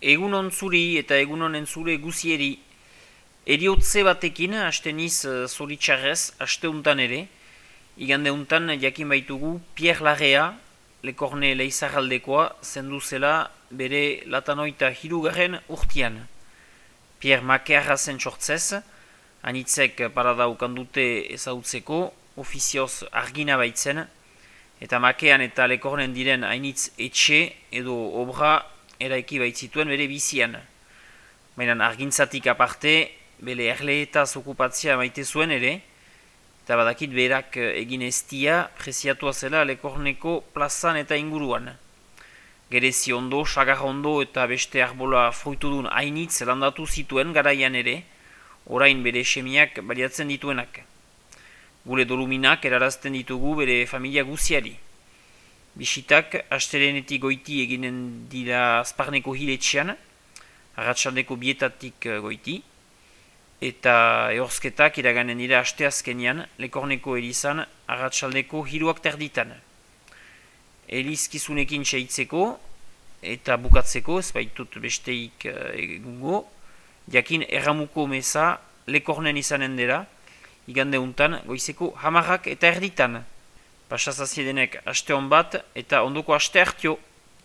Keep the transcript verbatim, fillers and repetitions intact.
Egunon zuri eta egunon entzule guzieri. Eriotze batekin, haste niz uh, zoritxarrez, haste untan ere. Igande untan jakin baitugu Pierre Larrea, Lekorne leizarraldekoa, zendu zela bere latanoita hirugarren urtian. Pierre Makearra zen sortzez, anitzek paradaukan dute ezautzeko, ofizioz argina baitzen, eta Makean eta Lekornen diren hainitz etxe edo obra eraiki baitzituen bere bizian. Baina argintzatik aparte, bere erleetaz okupatzia maite zuen ere, eta badakit berak egin eztia preziatua zela Lekorneko plazan eta inguruan. Gerezi ondo, sagar ondo eta beste arbola fruitudun hainitz landatu zituen garaian ere, orain bere semiak baliatzen dituenak. Gure doluminak erarazten ditugu bere familia guziari. Bisitak astelenetik goiti eginen dira Azparneko hiletxean, arratsaldeko bietatik goiti, eta ehorzketak iraganen dira asteazkenian Lekorneko elizan arratsaldeko hiruak terditan. Elizkizunekin seitzeko eta bukatzeko, ez baitut besteik egungo, jakin erramuko meza Lekornen izanen dela, igande untan goizeko hamarrak eta erditan. Pasazaziedenek aste hon bat eta ondoko aste hartio.